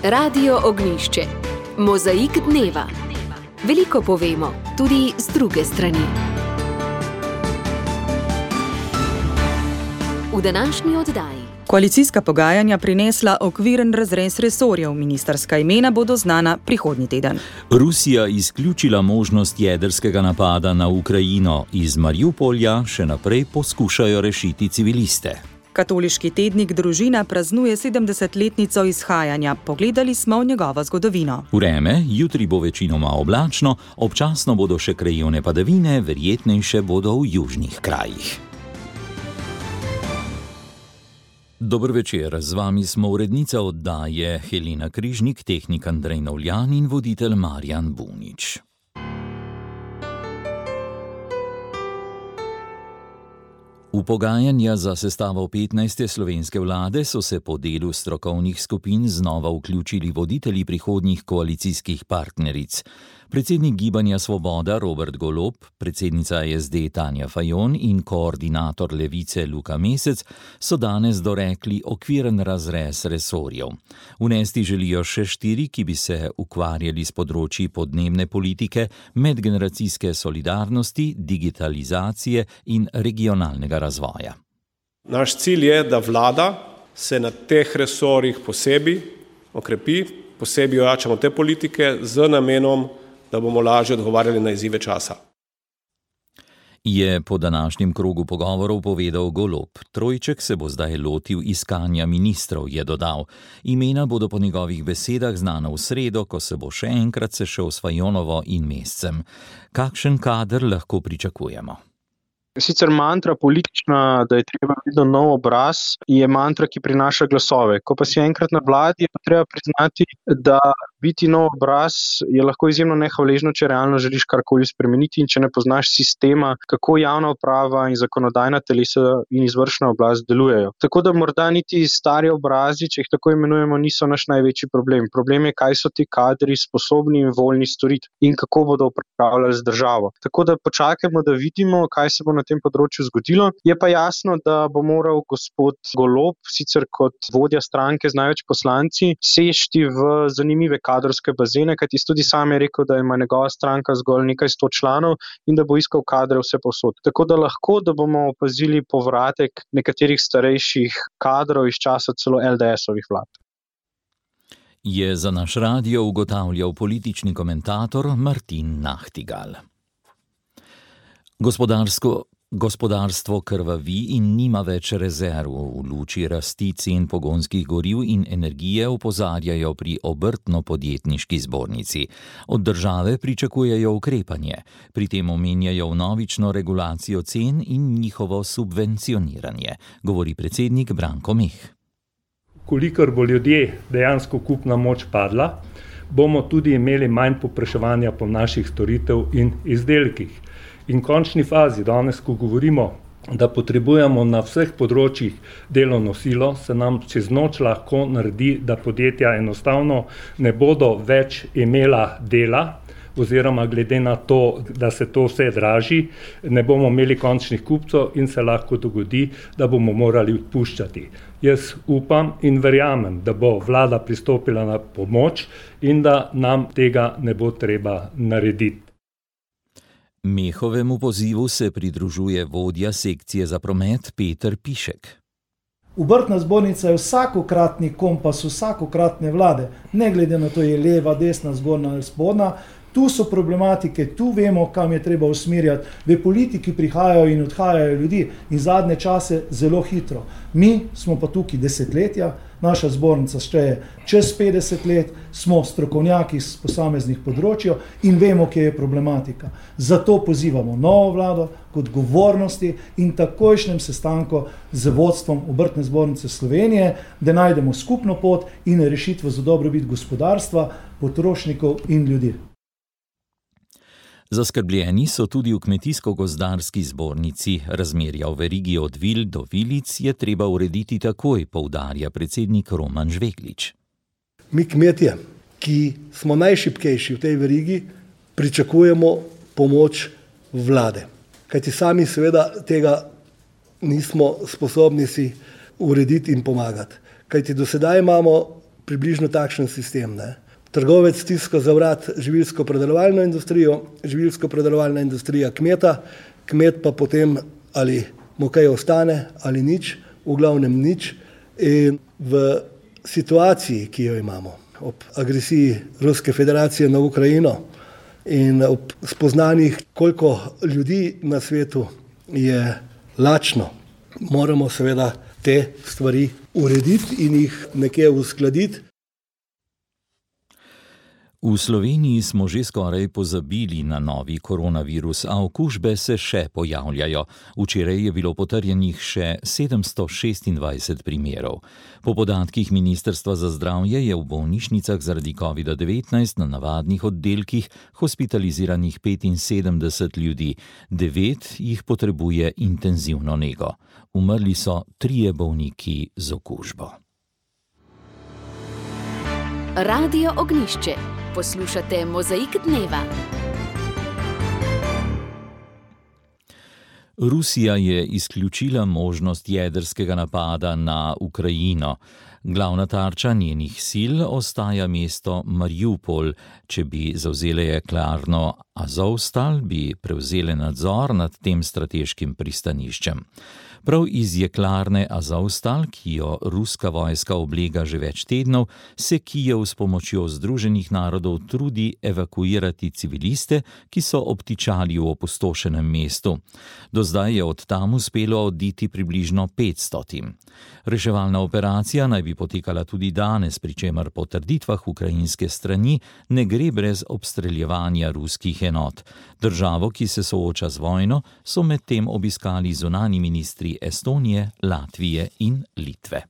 Radio Ognjišče. Mozaik dneva. Veliko povemo, tudi z druge strani. V današnji oddaji. Koalicijska pogajanja prinesla okviren razrez resorjev. Ministrska imena bodo znana prihodnji teden. Rusija izključila možnost jedrskega napada na Ukrajino. Iz Mariupolja še naprej poskušajo rešiti civiliste. Katoliški tednik Družina praznuje 70-letnico izhajanja. Pogledali smo v njegovo zgodovino. Vreme, jutri bo večinoma oblačno, občasno bodo še krajevne padavine, verjetnejše bodo v južnih krajih. Dober večer, z vami smo urednica oddaje Helena Križnik, tehnik Andrej Novljan in voditelj Marjan Bunič. V pogajanja za sestavo 15. slovenske vlade so se po delu strokovnih skupin znova vključili voditelji prihodnjih koalicijskih partneric. Predsednik Gibanja Svoboda Robert Golob, predsednica SD Tanja Fajon in koordinator Levice Luka Mesec so danes dorekli okviren razrez resorjev. Vnesti želijo še 4, ki bi se ukvarjali s področji podnebne politike, medgeneracijske solidarnosti, digitalizacije in regionalnega razvoja. Naš cilj je, da vlada se na teh resorjih posebej okrepi, posebej ojačamo te politike z namenom, da bomo lažje odgovarjali na izzive časa. Je po današnjem krogu pogovorov povedal Golob. Trojček se bo zdaj lotil iskanja ministrov, je dodal. Imena bodo po njegovih besedah znana v sredo, ko se bo še enkrat sešel s Fajonovo in Mescem. Kakšen kader lahko pričakujemo? Sicer mantra politična, da je treba vedno nov obraz, je mantra, ki prinaša glasove. Ko pa si enkrat na vladi, je pa treba priznati, da biti nov obraz je lahko izjemno nehvaležno, če realno želiš karkoli spremeniti in če ne poznaš sistema, kako javna uprava in zakonodajna telesa in izvršna oblast delujejo. Tako da morda niti stari obrazi, če jih tako imenujemo, niso naš največji problem. Problem je, kaj so ti kadri sposobni in voljni storiti in kako bodo upravljali z državo. Tako da počakajmo, da vidimo, kaj se bo na tem področju zgodilo. Je pa jasno, da bo moral gospod Golob, sicer kot vodja stranke z največ poslanci, sešti v zanimive kadrovske bazene, kajti tudi sam je rekel, da ima njegova stranka zgolj nekaj 100 članov in da bo iskal kadre vse povsod. Tako da lahko, da bomo opazili povratek nekaterih starejših kadrov iz časa celo LDS-ovih vlad. Je za naš radio ugotavljal politični komentator Martin Nahtigal. Gospodarstvo krvavi in nima več rezerv. V luči rasti cen pogonskih goriv in energije opozarjajo pri Obrtno-podjetniški zbornici. Od države pričakujejo ukrepanje. Pri tem omenjajo vnovično regulacijo cen in njihovo subvencioniranje, govori predsednik Branko Meh. Kolikor bo ljudje dejansko kupna moč padla, bomo tudi imeli manj povpraševanja po naših storitev in izdelkih. In v končni fazi, danes, ko govorimo, da potrebujemo na vseh področjih delovno silo, se nam čez noč lahko naredi, da podjetja enostavno ne bodo več imela dela, oziroma glede na to, da se to vse draži, ne bomo imeli končnih kupcev in se lahko dogodi, da bomo morali odpuščati. Jaz upam in verjamem, da bo vlada pristopila na pomoč in da nam tega ne bo treba narediti. Mehovemu pozivu se pridružuje vodja sekcije za promet Peter Pišek. Obrtna zbornica je vsakokratni kompas vsakokratne vlade, ne glede na to, je leva, desna, zgornja ali spodnja. Tu so problematike, tu vemo, kam je treba usmerjati. V politiki prihajajo in odhajajo ljudi in zadnje čase zelo hitro. Mi smo pa tukaj desetletja, naša zbornica šteje čez 50 let, smo strokovnjaki z posameznih področjev in vemo, kje je problematika. Zato pozivamo novo vlado k odgovornosti in takojšnjem sestanku z vodstvom Obrtne zbornice Slovenije, da najdemo skupno pot in rešitve za dobrobit gospodarstva, potrošnikov in ljudi. Zaskrbljeni so tudi v Kmetijsko-gozdarski zbornici. Razmerja v verigi od vil do vilic je treba urediti takoj, poudarja predsednik Roman Žveglič. Mi kmetje, ki smo najšibkejši v tej verigi, pričakujemo pomoč vlade. Kajti sami seveda tega nismo sposobni si urediti in pomagati. Kajti do sedaj imamo približno takšen sistem. Ne. Trgovec stiska za vrat živilsko-predelovalno industrijo, živilsko-predelovalna industrija kmeta, kmet pa potem ali mu kaj ostane ali nič, v glavnem nič. In v situaciji, ki jo imamo, ob agresiji Ruske federacije na Ukrajino in ob spoznanjih, koliko ljudi na svetu je lačno, moramo seveda te stvari urediti in jih nekje uskladiti. V Sloveniji smo že skoraj pozabili na novi koronavirus, a okužbe se še pojavljajo. Včeraj je bilo potrjenih še 726 primerov. Po podatkih Ministrstva za zdravje je v bolnišnicah zaradi COVID-19 na navadnih oddelkih hospitaliziranih 75 ljudi, 9 jih potrebuje intenzivno nego. Umrli so 3 bolniki z okužbo. Radio Ognjišče. Poslušate Mozaik dneva. Rusija je izključila možnost jedrskega napada na Ukrajino. Glavna tarča njenih sil ostaja mesto Mariupol. Če bi zavzele jeklarno Azovstal, bi prevzele nadzor nad tem strateškim pristaniščem. Prav iz jeklarne Azovstal, ki jo ruska vojska oblega že več tednov, se Kijev s pomočjo Združenih narodov trudi evakuirati civiliste, ki so obtičali v opustošenem mestu. Do zdaj je od tam uspelo oditi približno 500. Reševalna operacija naj bi potekala tudi danes, pri čemer po trditvah ukrajinske strani ne gre brez obstreljevanja ruskih enot. Državo, ki se sooča z vojno, so medtem obiskali zunanji ministri Estonije, Latvije in Litve.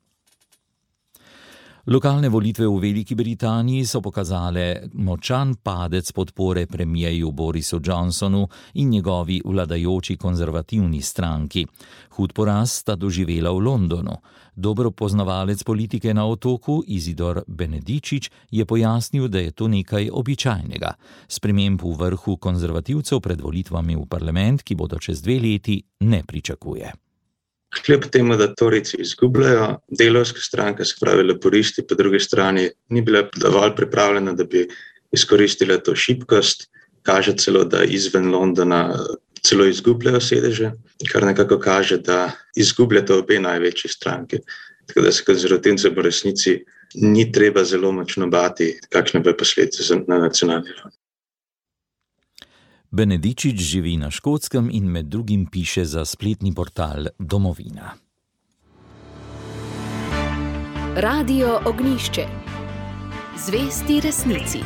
Lokalne volitve v Veliki Britaniji so pokazale močan padec podpore premierju Borisu Johnsonu in njegovi vladajoči konzervativni stranki. Hud poraz sta doživela v Londonu. Dober poznavalec politike na Otoku, Izidor Benedičič, je pojasnil, da je to nekaj običajnega. Sprememb v vrhu konzervativcev pred volitvami v parlament, ki bodo čez 2 leti, ne pričakuje. Kljub temu, da Torijci izgubljajo, delavska stranka, se pravi laboristi, po drugi strani ni bila dovolj pripravljena, da bi izkoristila to šibkost. Kaže celo, da izven Londona celo izgubljajo sedeže, kar nekako kaže, da izgubljata obe največji stranki. Tako da se konzervativcem v resnici ni treba zelo močno bati, kakšne bo posledice na nacionalni ravni. Benedičič živi na Škotskem in med drugim piše za spletni portal Domovina. Radio Ognjišče. Zvesti resnici.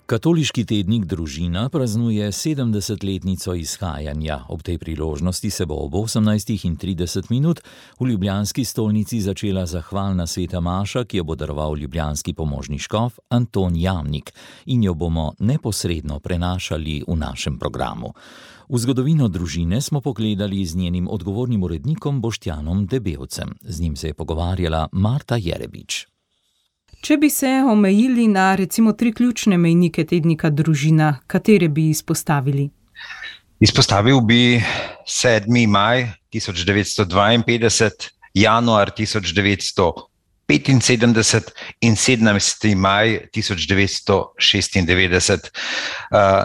Katoliški tednik Družina praznuje 70-letnico izhajanja. Ob tej priložnosti se bo ob 18:30 v ljubljanski stolnici začela zahvalna sveta maša, ki jo bo daroval ljubljanski pomožni škof Anton Jamnik, in jo bomo neposredno prenašali v našem programu. V zgodovino Družine smo pogledali z njenim odgovornim urednikom Boštjanom Debevcem. Z njim se je pogovarjala Marta Jerebič. Če bi se omejili na recimo 3 ključne mejnike tednika Družina, katere bi izpostavili? Izpostavil bi 7. maj 1952, januar 1975 in 17. maj 1996.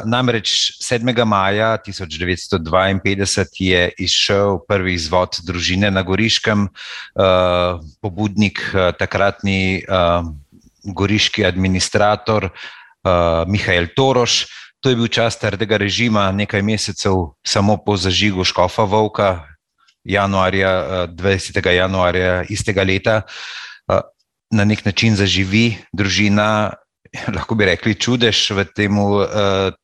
Namreč 7. maja 1952 je izšel prvi izvod Družine na Goriškem, pobudnik takratni goriški administrator Mihael Toroš. To je bil čas trdega režima, nekaj mesecev samo po zažigu škofa Volka, 20. januarja istega leta. Na nek način zaživi Družina, lahko bi rekli čudež v tem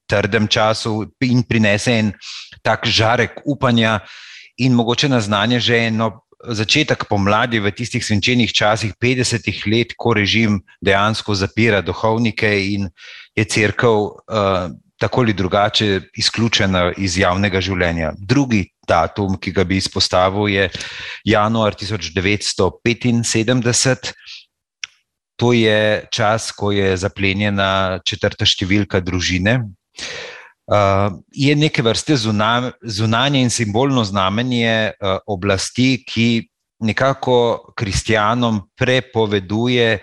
trdem času in prinese en tak žarek upanja in mogoče naznanje že eno začetek pomladi v tistih svinčenih časih 50 let, ko režim dejansko zapira duhovnike in je cerkev tako ali drugače izključena iz javnega življenja. Drugi datum, ki ga bi izpostavil, je januar 1975. To je čas, ko je zaplenjena 4. številka Družine. Je neke vrste zunanje in simbolno znamenje oblasti, ki nekako kristjanom prepoveduje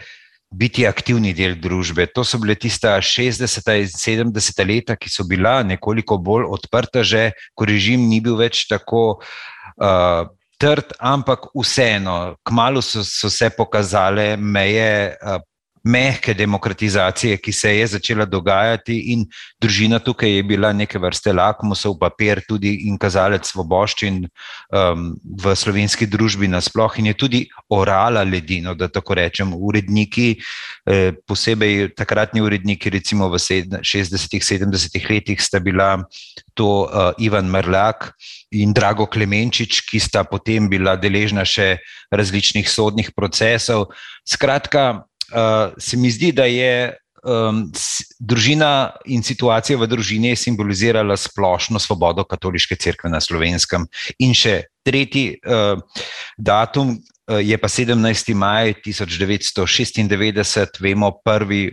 biti aktivni del družbe. To so bile tista 60. in 70. leta, ki so bila nekoliko bolj odprta že, ko režim ni bil več tako trd, ampak vseeno, kmalu so se pokazale meje mehke demokratizacije, ki se je začela dogajati in družina tukaj je bila neke vrste lakmusov papir tudi in kazalec svoboščin v slovenski družbi nasploh in je tudi orala ledino, da tako rečem. Uredniki, posebej takratni uredniki, recimo v 60. 70. letih sta bila to Ivan Mrlak in Drago Klemenčič, ki sta potem bila deležna še različnih sodnih procesov. Skratka, se mi zdi, da je družina in situacija v družini simbolizirala splošno svobodo katoliške cerkve na Slovenskem. In še tretji datum je pa 17. maj 1996, vemo, prvi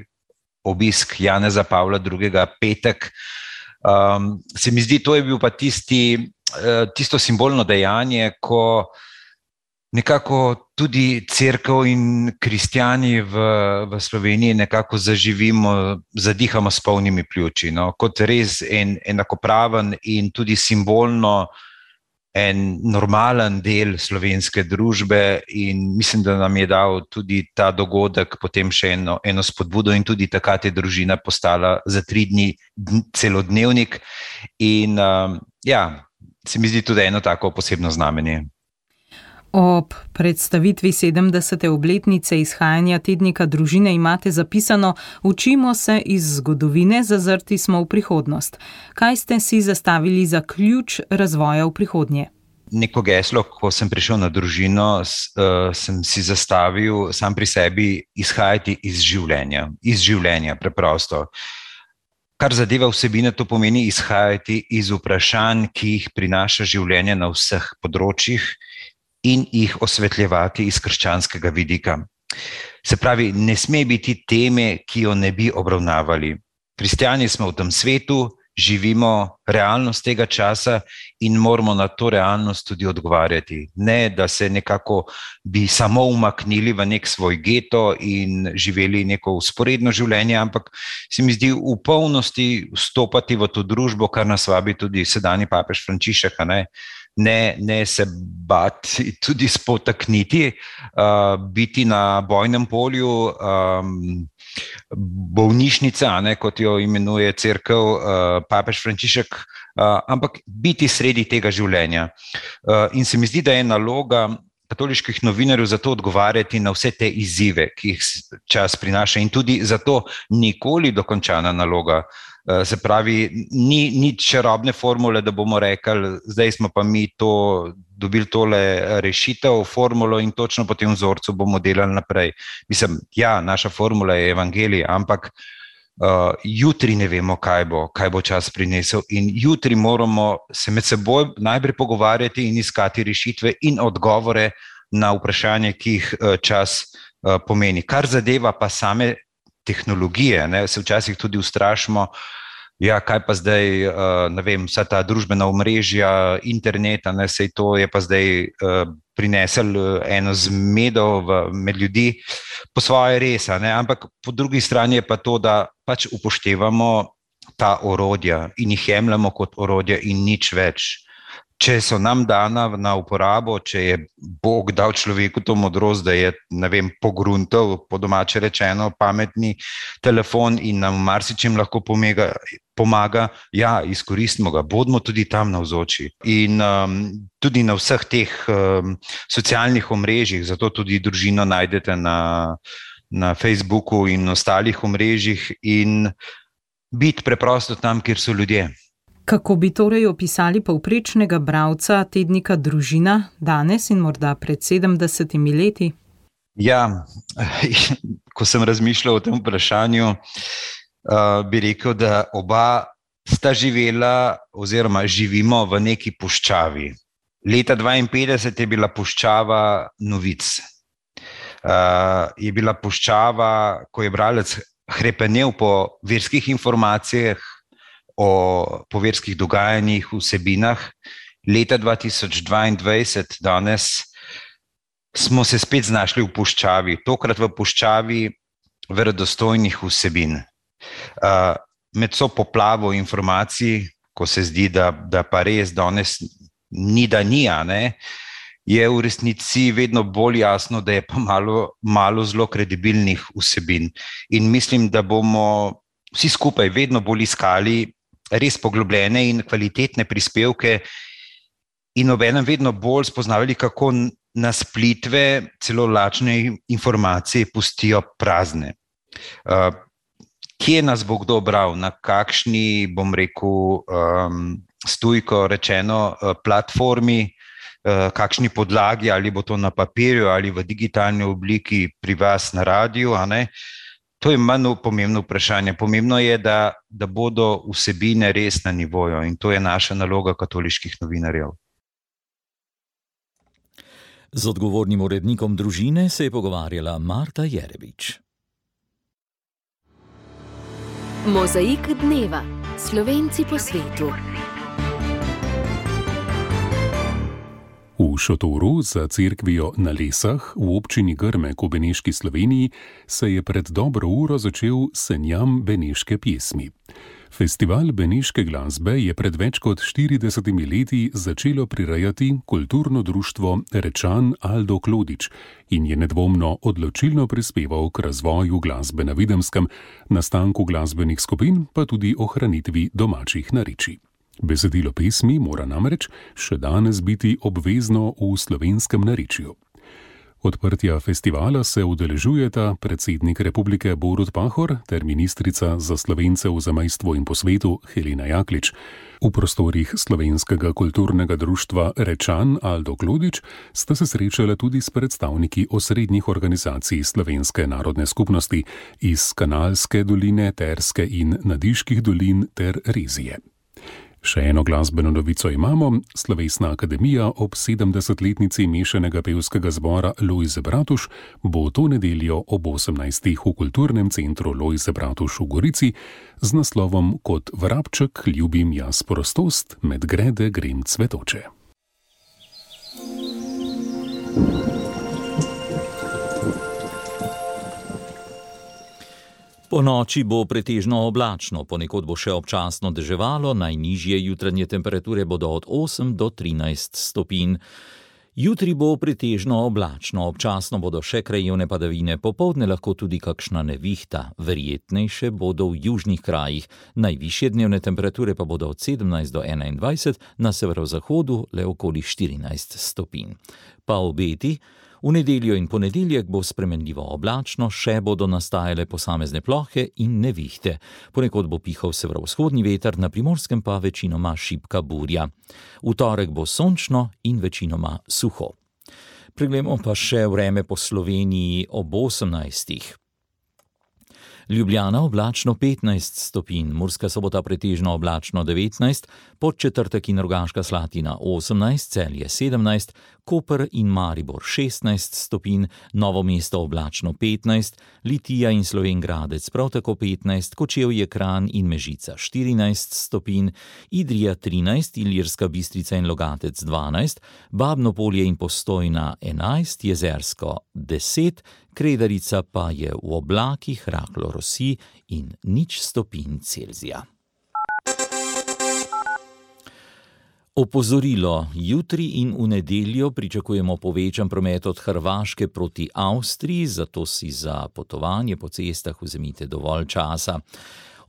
obisk Janeza Pavla II. Petek. Se mi zdi, to je bil pa tisto simbolno dejanje, ko nekako tudi cerkev in kristjani v Sloveniji nekako zaživimo, zadihamo s polnimi pljuči, no, kot res enakopraven in tudi simbolno en normalen del slovenske družbe in mislim, da nam je dal tudi ta dogodek potem še eno spodbudo in tudi takrat je družina postala za 3 dni celodnevnik in se mi zdi tudi eno tako posebno znamenje. Ob predstavitvi 70. obletnice izhajanja tednika družine imate zapisano: učimo se iz zgodovine, zazrti smo v prihodnost. Kaj ste si zastavili za ključ razvoja v prihodnje? Neko geslo, ko sem prišel na družino, sem si zastavil sam pri sebi izhajati iz življenja preprosto. Kar zadeva vsebine, to pomeni izhajati iz vprašanj, ki jih prinaša življenje na vseh področjih, in jih osvetljevati iz krščanskega vidika. Se pravi, ne sme biti teme, ki jo ne bi obravnavali. Kristjani smo v tem svetu, živimo realnost tega časa in moramo na to realnost tudi odgovarjati. Ne, da se nekako bi samo umaknili v nek svoj geto in živeli neko vzporedno življenje, ampak se mi zdi v polnosti vstopati v to družbo, kar nas vabi tudi sedanji papež Frančišek, ne se bati, tudi spotakniti, biti na bojnem polju, bolnišnica, kot jo imenuje cerkev papež Frančišek, ampak biti sredi tega življenja. In se mi zdi, da je naloga katoliških novinarjev zato odgovarjati na vse te izzive, ki jih čas prinaša in tudi zato nikoli dokončana naloga. Se pravi, ni čarobne formule, da bomo rekli, zdaj smo pa mi dobili tole rešitev, formulo in točno po tem vzorcu bomo delali naprej. Mislim, naša formula je evangelij, ampak jutri ne vemo, kaj bo čas prinesel in jutri moramo se med seboj najprej pogovarjati in iskati rešitve in odgovore na vprašanje, ki jih čas pomeni. Kar zadeva pa same tehnologije, se včasih tudi ustrašimo, kaj pa zdaj, ne vem, vsa ta družbena omrežja, internet, sej to je pa zdaj prinesel eno zmedo med ljudi, po svoje res, ampak po drugi strani je pa to, da pač upoštevamo ta orodja in jih jemljamo kot orodja in nič več. Če so nam dana na uporabo, če je Bog dal človeku to modrost, da je, pogruntal, po domače rečeno, pametni telefon in nam marsičem lahko pomaga, izkoristimo ga, bodimo tudi tam navzoči. In tudi na vseh teh socialnih omrežjih, zato tudi družino najdete na Facebooku in ostalih omrežjih in biti preprosto tam, kjer so ljudje. Kako bi torej opisali povprečnega bralca tednika Družina danes in morda pred 70 leti? Ko sem razmišljal o tem vprašanju, bi rekel, da oba sta živela oziroma živimo v neki puščavi. Leta 1952 je bila puščava novic. Je bila puščava, ko je bralec hrepenel po verskih informacijah, po verskih dogajanjih, vsebinah. Leta 2022, danes, smo se spet znašli v puščavi, tokrat v puščavi verodostojnih vsebin. Med so poplavo informacij, ko se zdi, da pa res danes ni, je v resnici vedno bolj jasno, da je pa malo zelo kredibilnih vsebin. In mislim, da bomo vsi skupaj vedno bolj iskali res poglobljene in kvalitetne prispevke in obenem vedno bolj spoznavali, kako nas plitve, celo lačne informacije pustijo prazne. Kje nas bo kdo bral, na kakšni, bom rekel, stojko rečeno, platformi, kakšni podlagi, ali bo to na papirju ali v digitalni obliki pri vas na radiju, To je manj pomembno vprašanje. Pomembno je, da bodo vsebine res na nivoju in to je naša naloga katoliških novinarjev. Z odgovornim urednikom Družine se je pogovarjala Marta Jerebič. Mozaik dneva. Slovenci po svetu. V šotoru za cerkvijo na Lesah v občini Grmek v Beneški Sloveniji se je pred dobro uro začel Senjam beneške pjesmi. Festival beneške glasbe je pred več kot 40 leti začelo prirejati kulturno društvo Rečan Aldo Klodič in je nedvomno odločilno prispeval k razvoju glasbe na Videmskem, nastanku glasbenih skupin pa tudi ohranitvi domačih narečij. Besedilo pesmi mora namreč še danes biti obvezno v slovenskem narečju. Odprtja festivala se udeležujeta predsednik republike Borut Pahor ter ministrica za Slovence v zamejstvu in po svetu Helena Jaklič. V prostorih Slovenskega kulturnega društva Rečan Aldo Klodič sta se srečala tudi s predstavniki osrednjih organizacij Slovenske narodne skupnosti iz Kanalske doline, Terske in Nadiških dolin ter Rezije. Še eno glasbeno novico imamo. Slovesna akademija ob 70-letnici mešanega pevskega zbora Lojze Bratuš bo to nedeljo ob 18. v kulturnem centru Lojze Bratuš v Gorici z naslovom Kot vrabček ljubim jaz prostost, med grede grem cvetoče. Po noči bo pretežno oblačno, ponekod bo še občasno deževalo, najnižje jutranje temperature bodo od 8 do 13 stopinj. Jutri bo pretežno oblačno, občasno bodo še krajevne padavine, popoldne lahko tudi kakšna nevihta, verjetnejše bodo v južnih krajih, najvišje dnevne temperature pa bodo od 17 do 21, na severozahodu le okoli 14 stopinj. Pa obeti. V nedeljo in ponedeljek bo spremenljivo oblačno, še bodo nastajale posamezne plohe in nevihte. Ponekod bo pihal severovzhodni veter, na Primorskem pa večinoma šibka burja. V torek bo sončno in večinoma suho. Preglejmo pa še vreme po Sloveniji ob 18. Ljubljana oblačno 15 stopinj, Murska Sobota pretežno oblačno 19, Podčetrtek in Rogaška Slatina 18, Celje 17, Koper in Maribor 16 stopinj, Novo mesto oblačno 15, Litija in Slovenj Gradec prav tako 15, Kočevje, Kranj in Mežica 14 stopinj, Idrija 13, Ilirska Bistrica in Logatec 12, Babno Polje in Postojna 11, Jezersko 10, Kredarica pa je v oblakih, rahlo rosi in 0 stopinj Celzija. Opozorilo. Jutri in v nedeljo pričakujemo povečan promet od Hrvaške proti Avstriji, zato si za potovanje po cestah vzemite dovolj časa.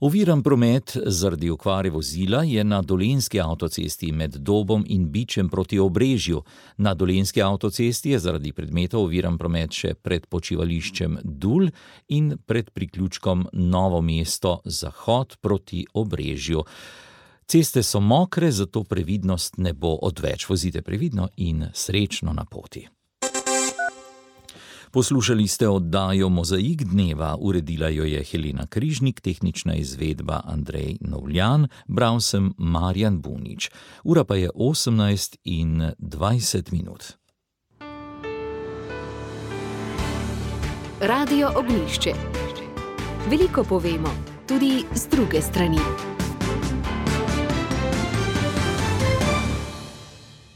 Oviran promet zaradi okvare vozila je na Dolenjski avtocesti med Dobom in Bičem proti Obrežju. Na Dolenjski avtocesti je zaradi predmetov oviran promet še pred počivališčem Dul in pred priključkom Novo mesto Zahod proti Obrežju. Ceste so mokre, zato previdnost ne bo odveč. Vozite previdno in srečno na poti. Poslušali ste oddajo Mozaik dneva, uredila jo je Helena Križnik, tehnična izvedba Andrej Novljan, bral sem Marjan Bunič. Ura pa je 18:20. Radio Ognjišče. Veliko povemo, tudi z druge strani.